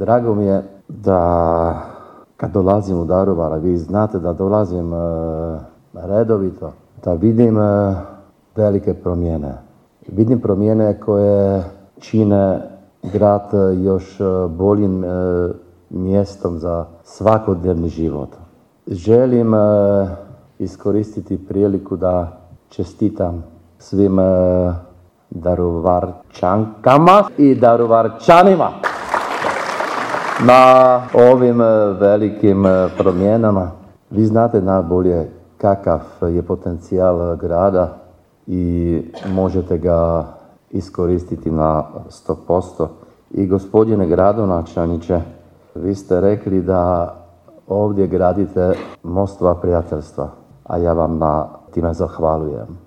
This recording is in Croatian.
Drago mi je da kad dolazim u Daruvar, vi znate da dolazim redovito, da vidim velike promjene. Vidim promjene koje čine grad još boljim mjestom za svakodnevni život. Želim iskoristiti priliku da čestitam svim Daruvarčankama i Daruvarčanima na ovim velikim promjenama. Vi znate najbolje kakav je potencijal grada i možete ga iskoristiti na 100%. I gospodine gradonačelniče, vi ste rekli da ovdje gradite mostova prijateljstva, a ja vam na time zahvaljujem.